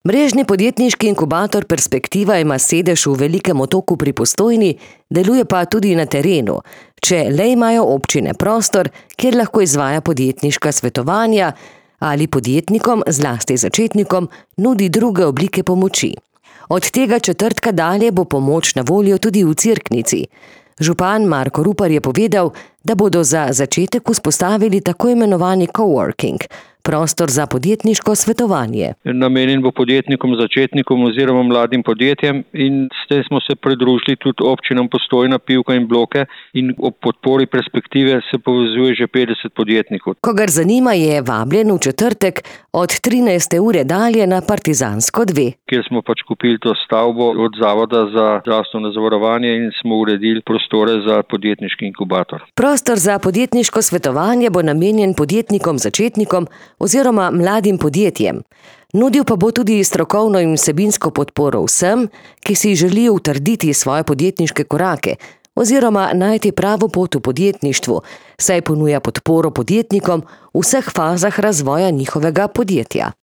Mrežni podjetniški inkubator Perspektiva ima sedež v Velikem Otoku pri Postojni, deluje pa tudi na terenu, če le imajo občine prostor, kjer lahko izvaja podjetniška svetovanja ali podjetnikom, zlasti začetnikom, nudi druge oblike pomoči. Od tega četrtka dalje bo pomoč na voljo tudi v Cerknici. Župan Marko Rupar je povedal, da bodo za začetek vzpostavili tako imenovani coworking, prostor za podjetniško svetovanje. Namenjen bo podjetnikom, začetnikom oziroma mladim podjetjem in s tem smo se pridružili tudi občinam Postojna, Pivka in Bloke in ob podpori Perspektive se povezuje že 50 podjetnikov. Kogar zanima, je vabljen v četrtek od 13. ure dalje na Partizansko 2. Kjer smo kupili to stavbo od Zavoda za zdravstveno zavarovanje in smo uredili prostore za podjetniški inkubator. Prostor za podjetniško svetovanje bo namenjen podjetnikom, začetnikom oziroma mladim podjetjem. Nudil pa bo tudi strokovno in vsebinsko podporo vsem, ki si želijo utrditi svoje podjetniške korake oziroma najti pravo pot v podjetništvu, saj ponuja podporo podjetnikom v vseh fazah razvoja njihovega podjetja.